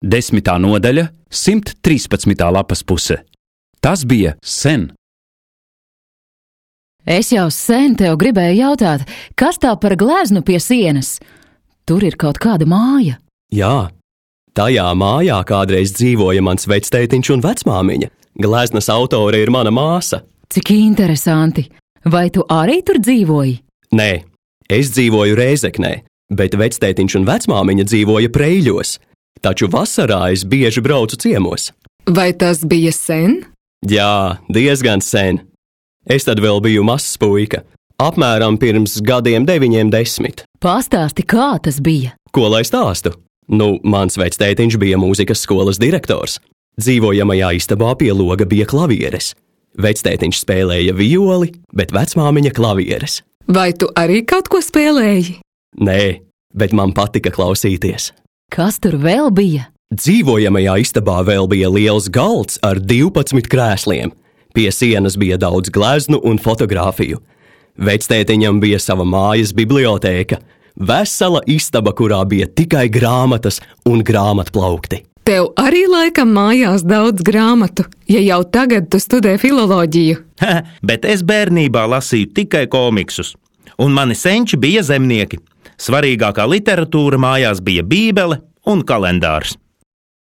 10. nodaļa, 113. lapas puse. Tas bija sen. Es jau sen tev gribēju jautāt, kas tā par gleznu pie sienas? Tur ir kaut kāda māja. Jā, tajā mājā kādreiz dzīvoja mans vectētiņš un vecmāmiņa. Gleznas autore ir mana māsa. Cik interesanti! Vai tu arī tur dzīvoji? Nē, es dzīvoju Rēzeknē, bet vectētiņš un vecmāmiņa dzīvoja Preiļos. Taču vasarā es bieži braucu ciemos. Vai tas bija sen? Jā, diezgan sen. Es tad vēl biju mazs puika, apmēram pirms gadiem 90. Pastāsti, kā tas bija? Ko lai stāstu? Mans vectētiņš bija mūzikas skolas direktors. Dzīvojamajā istabā pie loga bija klavieres. Vectētiņš spēlēja violi, bet vecmāmiņa klavieres. Vai tu arī kaut ko spēlēji? Nē, bet man patika klausīties. Kas tur vēl bija? Dzīvojamajā istabā vēl bija liels galds ar 12 krēsliem. Pie sienas bija daudz gleznu un fotogrāfiju. Vectētiņam bija sava mājas bibliotēka, vesela istaba, kurā bija tikai grāmatas un grāmatplaukti. Tev arī laikam mājās daudz grāmatu, ja jau tagad tu studē filoloģiju. Bet es bērnībā lasīju tikai komiksus, un mani senči bija zemnieki. Svarīgākā literatūra mājās bija bībele un kalendārs.